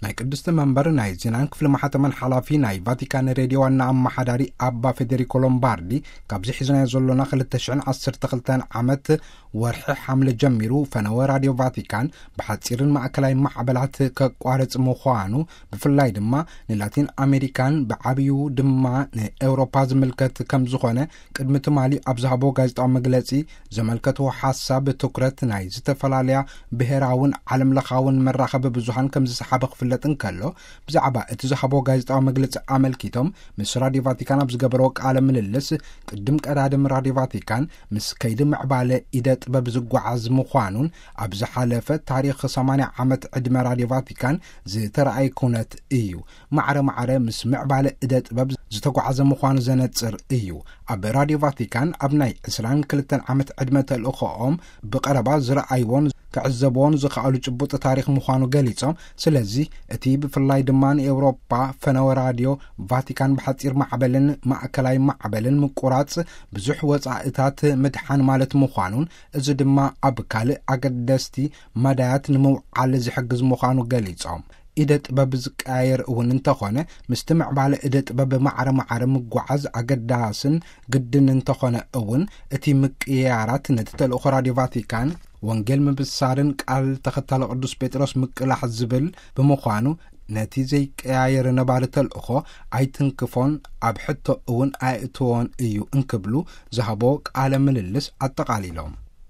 ናይ ቅድስቲ መንበር ናይ ዜናን ክፍሊ ማሕተመን ሓላፊ፣ ናይ ቫቲካን ሬድዮ ዋና ኣመሓዳሪ ኣባ ፌዴሪኮ ሎምባርዲ፣ ካብዚ ሒዝናዮ ዘሎና ክልተ ሽሕን ዓሰርተ ክልተን ዓመት ወርሒ ሓምለ ጀሚሩ፣ ፈነወ ራድዮ ቫቲካን ብሓጺርን ማእከላይ ማዕበላት ከቋርጽ ምዃኑ፣ ብፍላይ ድማ ንላቲን ኣሜሪካን ብዓብዩ ድማ ንኤውሮፓ ዝምልከት ከም ዝኾነ፣ ቅድሚ ትማሊ ኣብ ዝሃቦ ጋዜጣዊ መግለጺ ዘመልከትዎ ሓሳብ፣ ትኩረት ናይ ዝተፈላለያ ብሔራውን ዓለም ለኻውን መራኸቢ ብዙሃን ከም ዝሰሓበ ክፍለጥ እንከሎ፣ ብዛዕባ እቲ ዝሃቦ ጋዜጣዊ መግለጺ ኣመልኪቶም ምስ ራድዮ ቫቲካን ኣብ ዝገበርዎ ቃለ ምልልስ፣ ቅድም ቀዳድም ራድዮ ቫቲካን ምስ ከይዲ ምዕባለ ኢደ ጥበብ ዝጓዓዝ ምዃኑን፣ ኣብ ዝሓለፈ ታሪኽ ሰማንያ ዓመት ዕድመ ራድዮ ቫቲካን ዝተረኣየ ኩነት እዩ። ማዕረ ማዕረ ምስ ምዕባለ እደ ጥበብ ዝተጓዓዘ ምዃኑ ዘነጽር እዩ። ኣብ ራድዮ ቫቲካን ኣብ ናይ ዕስራን ክልተን ዓመት ዕድመ ተልእኾኦም ብቐረባ ዝረኣይዎን ክዕዘብዎን ዝኸኣሉ ጭቡጥ ታሪኽ ምዃኑ ገሊጾም፣ ስለዚ እቲ ብፍላይ ድማ ንኤውሮፓ ፈነወ ራድዮ ቫቲካን ብሓጺር ማዕበልን ማእከላይ ማዕበልን ምቁራጽ ብዙሕ ወጻእታት ምድሓን ማለት ምዃኑን፣ እዚ ድማ ኣብ ካልእ ኣገደስቲ መዳያት ንምውዓል ዝሕግዝ ምዃኑ ገሊጾም፣ ኢደ ጥበብ ዝቀያየር እውን እንተኾነ፣ ምስቲ ምዕባለ እደ ጥበብ ማዕረ ማዕረ ምጓዓዝ ኣገዳስን ግድን እንተኾነ እውን፣ እቲ ምቅያራት ነቲ ተልእኾ ራድዮ ቫቲካን ወንጌል ምብሳርን ቃል ተኸታሊ ቅዱስ ጴጥሮስ ምቅላሕ ዝብል ብምዃኑ፣ ነቲ ዘይቀያየር ነባሪ ተልእኾ ኣይትንክፎን ኣብ ሕቶ እውን ኣየእትዎን እዩ እንክብሉ ዝሃቦ ቃለ ምልልስ ኣጠቓሊሎም።